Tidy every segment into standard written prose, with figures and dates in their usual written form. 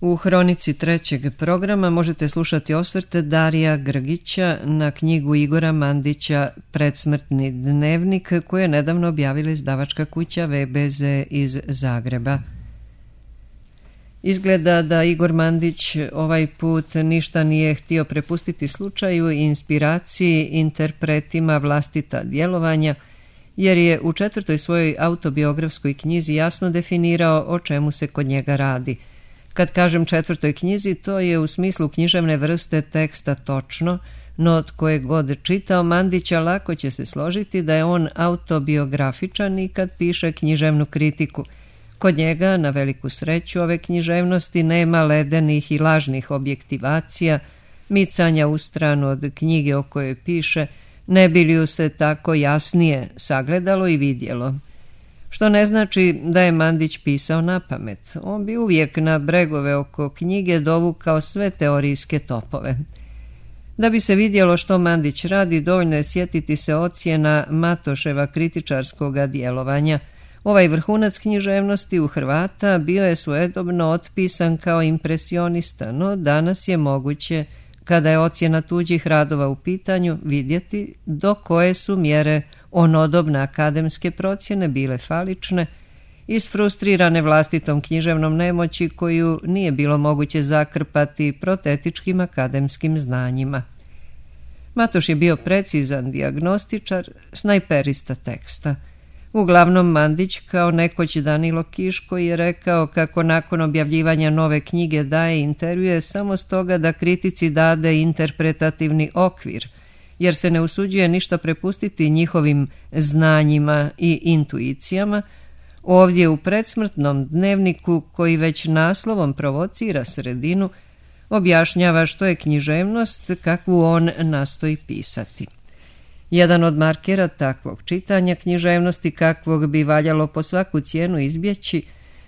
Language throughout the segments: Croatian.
U hronici trećeg programa možete slušati osvrte Darija Grgića na knjigu Igora Mandića Predsmrtni dnevnik, koju je nedavno objavila izdavačka kuća VBZ iz Zagreba. Izgleda da Igor Mandić ovaj put ništa nije htio prepustiti slučaju i inspiraciji, interpretima vlastita djelovanja, jer je u 4. svojoj autobiografskoj knjizi jasno definirao o čemu se kod njega radi. Kad kažem 4. knjizi, to je u smislu književne vrste teksta točno, no tko je god čitao Mandića lako će se složiti da je on autobiografičan i kad piše književnu kritiku. Kod njega, na veliku sreću ove književnosti, nema ledenih i lažnih objektivacija, micanja u stranu od knjige o kojoj piše, ne bi li ju se tako jasnije sagledalo i vidjelo. Što ne znači da je Mandić pisao napamet. On bi uvijek na bregove oko knjige dovukao sve teorijske topove. Da bi se vidjelo što Mandić radi, dovoljno je sjetiti se ocjena Matoševa kritičarskoga djelovanja. Ovaj vrhunac književnosti u Hrvata bio je svojedobno otpisan kao impresionista, no danas je moguće, kada je ocjena tuđih radova u pitanju, vidjeti do koje su mjere onodobne akademske procjene bile falične, isfrustrirane vlastitom književnom nemoći koju nije bilo moguće zakrpati protetičkim akademskim znanjima. Matoš je bio precizan dijagnostičar, snajperista teksta. Uglavnom Mandić, kao nekoć Danilo Kiško, je rekao kako nakon objavljivanja nove knjige daje intervjue samo stoga da kritici dade interpretativni okvir, jer se ne usuđuje ništa prepustiti njihovim znanjima i intuicijama. Ovdje u predsmrtnom dnevniku, koji već naslovom provocira sredinu, objašnjava što je književnost kakvu on nastoji pisati. Jedan od markera takvog čitanja književnosti, kakvog bi valjalo po svaku cijenu izbjeći,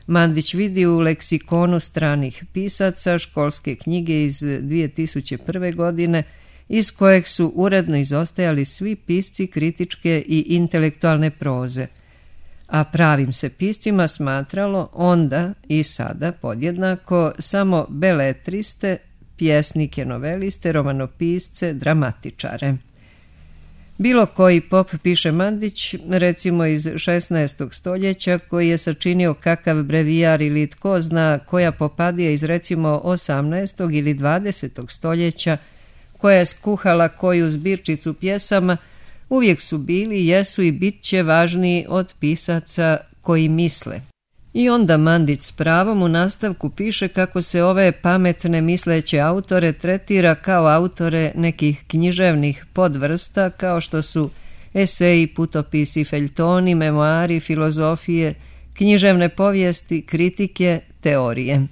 Mandić vidi u leksikonu stranih pisaca školske knjige iz 2001. godine, iz kojeg su uredno izostajali svi pisci kritičke i intelektualne proze, a pravim se piscima smatralo onda i sada podjednako samo beletriste, pjesnike, noveliste, romanopisce, dramatičare. Bilo koji pop, piše Mandić, recimo iz 16. stoljeća, koji je sačinio kakav brevijar ili tko zna koja popadija iz recimo 18. ili 20. stoljeća, koja je skuhala koju zbirčicu pjesama, uvijek su bili, jesu i bit će važniji od pisaca koji misle. I onda Mandić s pravom u nastavku piše kako se ove pametne misleće autore tretira kao autore nekih književnih podvrsta, kao što su eseji, putopisi, feljtoni, memoari, filozofije, književne povijesti, kritike, teorije.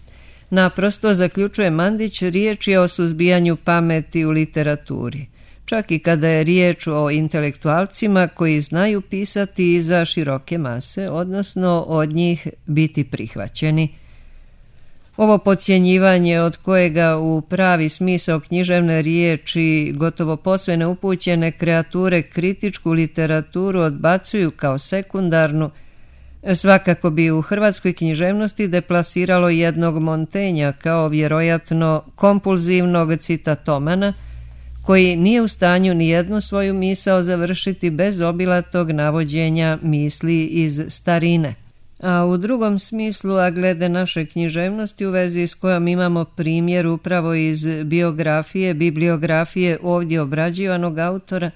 Naprosto, zaključuje Mandić, riječ je o suzbijanju pameti u literaturi, čak i kada je riječ o intelektualcima koji znaju pisati za široke mase, odnosno od njih biti prihvaćeni. Ovo podcjenjivanje, od kojega u pravi smisao književne riječi gotovo posve neupućene kreature kritičku literaturu odbacuju kao sekundarnu, svakako bi u hrvatskoj književnosti deplasiralo jednog Montenja kao vjerojatno kompulzivnog citatomana, koji nije u stanju ni jednu svoju misao završiti bez obilatog navođenja misli iz starine. A u drugom smislu, a glede naše književnosti u vezi s kojom imamo primjer upravo iz bibliografije ovdje obrađivanog autora,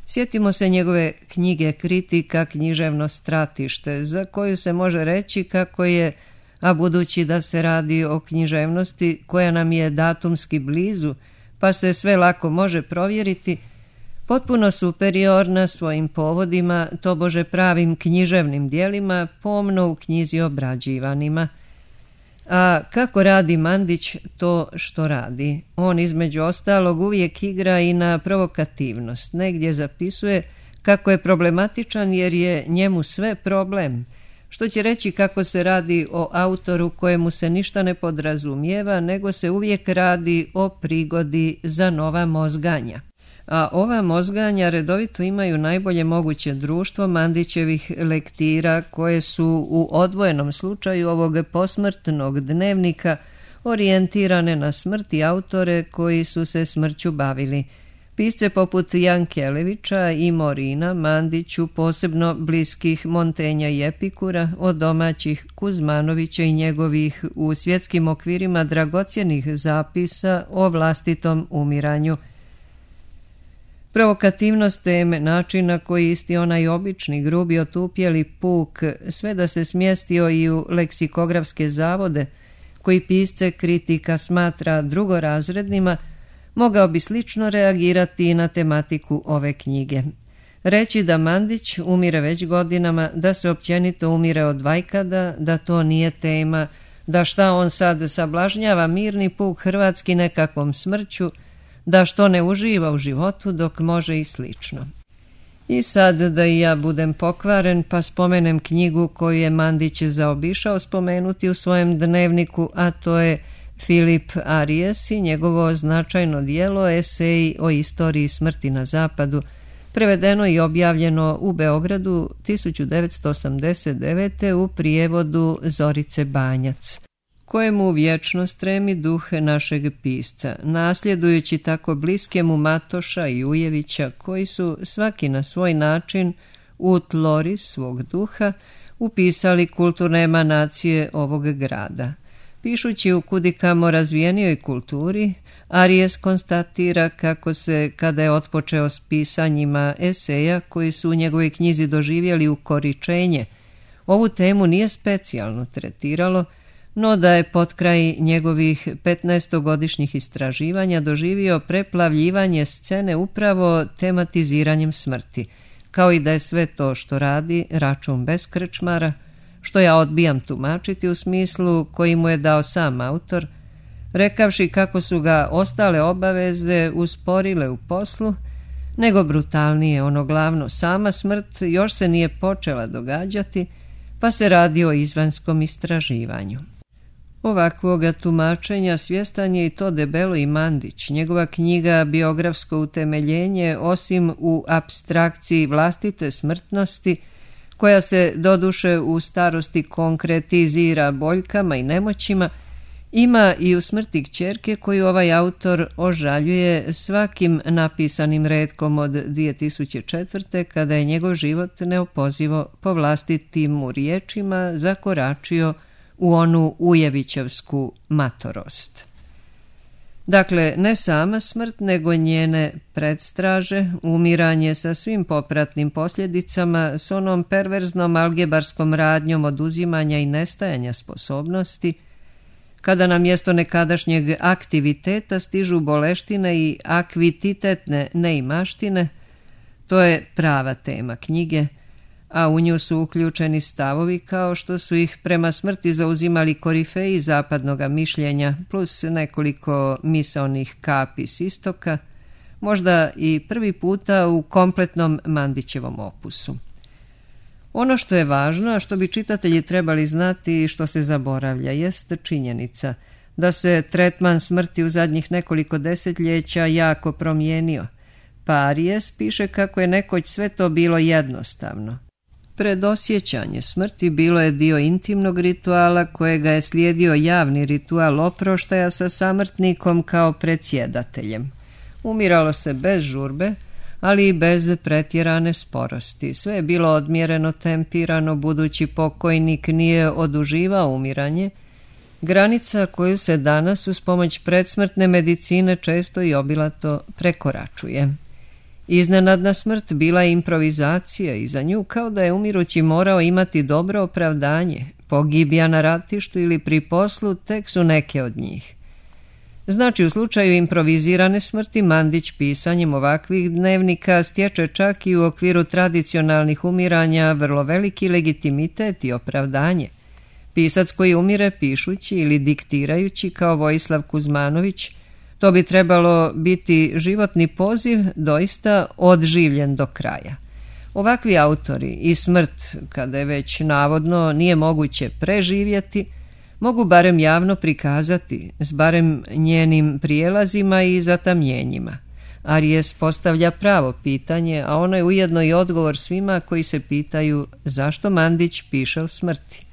sjetimo se njegove knjige Kritika, književno stratište, za koju se može reći kako je, a budući da se radi o književnosti koja nam je datumski blizu, pa se sve lako može provjeriti, potpuno superiorna svojim povodima, tobože pravim književnim dijelima, pomno u knjizi obrađivanima. A kako radi Mandić to što radi? On između ostalog uvijek igra i na provokativnost. Negdje zapisuje kako je problematičan jer je njemu sve problem, što će reći kako se radi o autoru kojemu se ništa ne podrazumijeva, nego se uvijek radi o prigodi za nova mozganja. A ova mozganja redovito imaju najbolje moguće društvo Mandićevih lektira, koje su u odvojenom slučaju ovog posmrtnog dnevnika orijentirane na smrt i autore koji su se smrću bavili. Pisce poput Jankelevića i Morina, Mandiću posebno bliskih Montenja i Epikura, od domaćih Kuzmanovića i njegovih u svjetskim okvirima dragocjenih zapisa o vlastitom umiranju. Provokativnost teme, način na koji isti onaj obični, grubi, otupjeli puk, sve da se smjestio i u leksikografske zavode, koji pisce kritika smatra drugorazrednima, mogao bi slično reagirati i na tematiku ove knjige. Reći da Mandić umire već godinama, da se općenito umire od vajkada, da to nije tema, da šta on sad sablažnjava mirni puk hrvatski nekakvom smrću, da što ne uživa u životu dok može i slično. I sad da i ja budem pokvaren pa spomenem knjigu koju je Mandić zaobišao spomenuti u svojem dnevniku, a to je Filip Arijes i njegovo značajno djelo Eseji o istoriji smrti na zapadu, prevedeno i objavljeno u Beogradu 1989. u prijevodu Zorice Banjac, kojemu vječno stremi duh našeg pisca, nasljedujući tako bliske mu Matoša i Ujevića, koji su svaki na svoj način u tlori svog duha upisali kulturne emanacije ovog grada. Pišući u kudikamo razvijenijoj kulturi, Arijes konstatira kako se, kada je otpočeo s pisanjima eseja koji su u njegovoj knjizi doživjeli ukoričenje, ovu temu nije specijalno tretiralo, no da je potkraj njegovih 15-godišnjih istraživanja doživio preplavljivanje scene upravo tematiziranjem smrti, kao i da je sve to što radi račun bez krčmara, što ja odbijam tumačiti u smislu koji mu je dao sam autor, rekavši kako su ga ostale obaveze usporile u poslu, nego brutalnije ono glavno, sama smrt još se nije počela događati, pa se radi o izvanskom istraživanju. Ovakvoga tumačenja svjestan je i to debelo i Mandić. Njegova knjiga Biografsko utemeljenje, osim u apstrakciji vlastite smrtnosti, koja se doduše u starosti konkretizira boljkama i nemoćima, ima i u smrti kćerke koju ovaj autor ožaljuje svakim napisanim retkom od 2004. kada je njegov život neopozivo po vlastitim mu riječima zakoračio u onu ujevićevsku matorost. Dakle, ne sama smrt, nego njene predstraže, umiranje sa svim popratnim posljedicama, s onom perverznom algebarskom radnjom oduzimanja i nestajanja sposobnosti, kada na mjesto nekadašnjeg aktiviteta stižu boleštine i akvititetne neimaštine, to je prava tema knjige, a u nju su uključeni stavovi kao što su ih prema smrti zauzimali korifeji zapadnoga mišljenja, plus nekoliko misaonih kapi s istoka, možda i prvi puta u kompletnom Mandićevom opusu. Ono što je važno, a što bi čitatelji trebali znati i što se zaboravlja, jest činjenica da se tretman smrti u zadnjih nekoliko desetljeća jako promijenio, pa Arijes piše kako je nekoć sve to bilo jednostavno. Predosjećanje smrti bilo je dio intimnog rituala kojega je slijedio javni ritual oproštaja sa samrtnikom kao predsjedateljem. Umiralo se bez žurbe, ali i bez pretjerane sporosti. Sve je bilo odmjereno, tempirano, budući pokojnik nije oduživao umiranje, granica koju se danas uz pomoć predsmrtne medicine često i obilato prekoračuje. Iznenadna smrt bila je improvizacija i za nju kao da je umirući morao imati dobro opravdanje, pogibija na ratištu ili pri poslu tek su neke od njih. Znači, u slučaju improvizirane smrti Mandić pisanjem ovakvih dnevnika stječe čak i u okviru tradicionalnih umiranja vrlo veliki legitimitet i opravdanje. Pisac koji umire pišući ili diktirajući kao Vojislav Kuzmanović, to bi trebalo biti životni poziv doista odživljen do kraja. Ovakvi autori i smrt, kada je već navodno nije moguće preživjeti, mogu barem javno prikazati s barem njenim prijelazima i zatamnjenjima. Arijes postavlja pravo pitanje, a ono je ujedno i odgovor svima koji se pitaju zašto Mandić piše o smrti.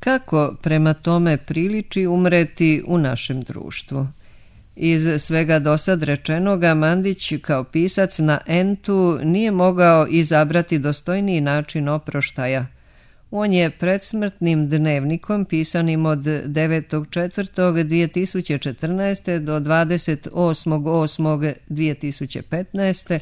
Kako prema tome priliči umreti u našem društvu? Iz svega dosad rečenoga, Mandić kao pisac na entu nije mogao izabrati dostojniji način oproštaja. On je predsmrtnim dnevnikom pisanim od 9.4.2014. do 28.8.2015.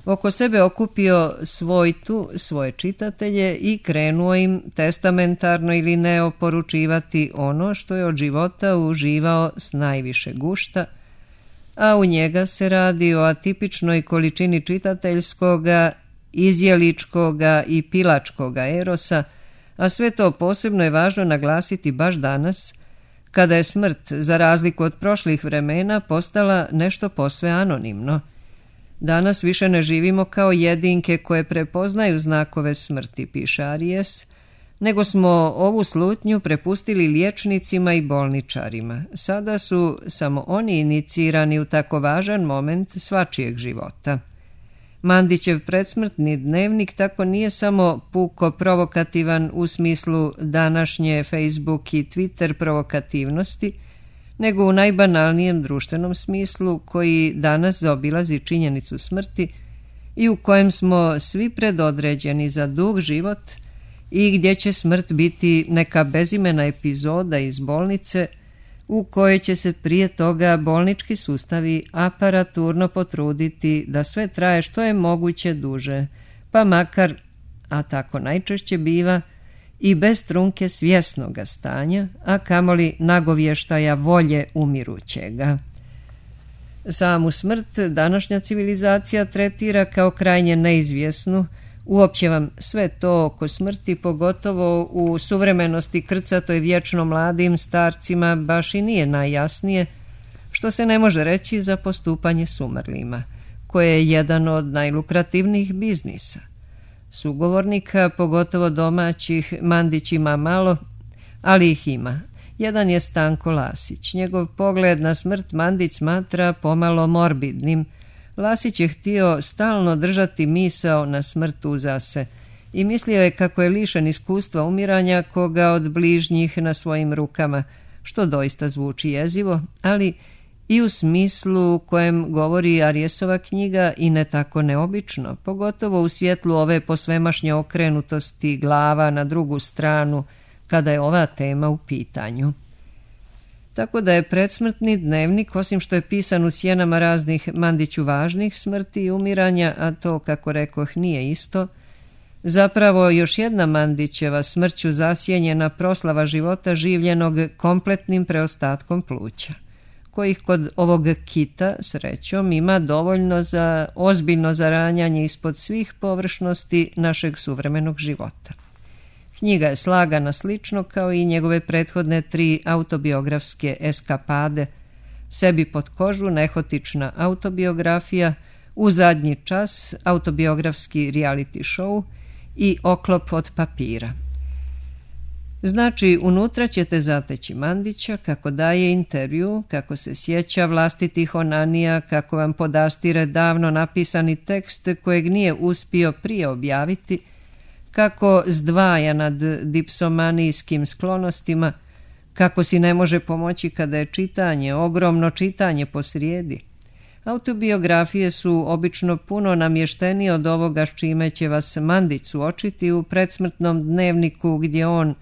oko sebe okupio svojtu, svoje čitatelje i krenuo im testamentarno ili ne oporučivati ono što je od života uživao s najviše gušta, a u njega se radi o atipičnoj količini čitateljskoga, izjeličkoga i pilačkoga erosa, a sve to posebno je važno naglasiti baš danas, kada je smrt, za razliku od prošlih vremena, postala nešto posve anonimno. Danas više ne živimo kao jedinke koje prepoznaju znakove smrti, piše Aries, nego smo ovu slutnju prepustili liječnicima i bolničarima. Sada su samo oni inicirani u tako važan moment svačijeg života. Mandićev predsmrtni dnevnik tako nije samo puko provokativan u smislu današnje Facebook i Twitter provokativnosti, nego u najbanalnijem društvenom smislu koji danas zaobilazi činjenicu smrti i u kojem smo svi predodređeni za dug život i gdje će smrt biti neka bezimena epizoda iz bolnice u kojoj će se prije toga bolnički sustavi aparaturno potruditi da sve traje što je moguće duže, pa makar, a tako najčešće biva, i bez trunke svjesnoga stanja, a kamoli nagovještaja volje umirućega. Samu smrt današnja civilizacija tretira kao krajnje neizvjesnu, uopće vam sve to oko smrti, pogotovo u suvremenosti krcatoj vječno mladim starcima, baš i nije najjasnije, što se ne može reći za postupanje s umrlima, koje je jedan od najlukrativnijih biznisa. Sugovornika, pogotovo domaćih, Mandić ima malo, ali ih ima. Jedan je Stanko Lasić. Njegov pogled na smrt Mandić smatra pomalo morbidnim. Lasić je htio stalno držati misao na smrt uza se i mislio je kako je lišen iskustva umiranja koga od bližnjih na svojim rukama, što doista zvuči jezivo, ali i u smislu kojem govori Ariesova knjiga i ne tako neobično, pogotovo u svjetlu ove posvemašnje okrenutosti glava na drugu stranu kada je ova tema u pitanju. Tako da je predsmrtni dnevnik, osim što je pisan u sjenama raznih Mandiću važnih smrti i umiranja, a to, kako rekoh, nije isto, zapravo još jedna Mandićeva smrću zasjenjena proslava života življenog kompletnim preostatkom pluća, kojih kod ovog kita, srećom, ima dovoljno za ozbiljno zaranjanje ispod svih površnosti našeg suvremenog života. Knjiga je slagana slično kao i njegove prethodne 3 autobiografske eskapade, Sebi pod kožu, nehotična autobiografija, U zadnji čas, autobiografski reality show i Oklop od papira. Znači, unutra ćete zateći Mandića kako daje intervju, kako se sjeća vlastitih onanija, kako vam podastire davno napisani tekst kojeg nije uspio prije objaviti, kako zdvaja nad dipsomanijskim sklonostima, kako si ne može pomoći kada je čitanje, ogromno čitanje posrijedi. Autobiografije su obično puno namještenije od ovoga s čime će vas Mandić suočiti u predsmrtnom dnevniku gdje on,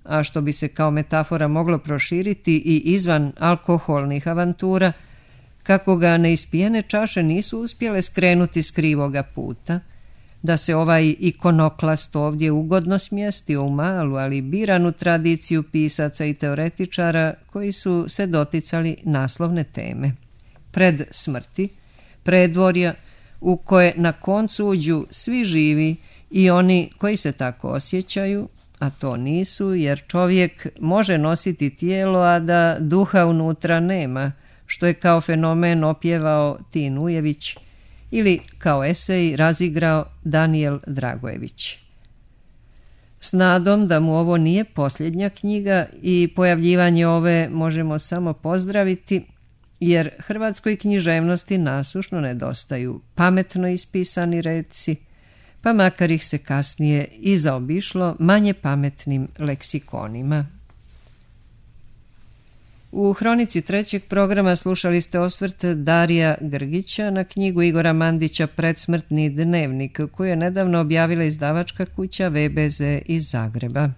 a što bi se kao metafora moglo proširiti i izvan alkoholnih avantura, kako ga neispijene čaše nisu uspjele skrenuti s krivoga puta, da se ovaj ikonoklast ovdje ugodno smjestio u malu, ali biranu tradiciju pisaca i teoretičara koji su se doticali naslovne teme. Pred smrti, predvorja u koje na koncu uđu svi živi i oni koji se tako osjećaju, a to nisu, jer čovjek može nositi tijelo, a da duha unutra nema, što je kao fenomen opjevao Tin Ujević ili kao esej razigrao Danijel Dragojević. S nadom da mu ovo nije posljednja knjiga i pojavljivanje ove možemo samo pozdraviti, jer hrvatskoj književnosti nasušno nedostaju pametno ispisani reci, pa makar ih se kasnije i zaobišlo manje pametnim leksikonima. U hronici trećeg programa slušali ste osvrt Darija Grgića na knjigu Igora Mandića Predsmrtni dnevnik, koju je nedavno objavila izdavačka kuća VBZ iz Zagreba.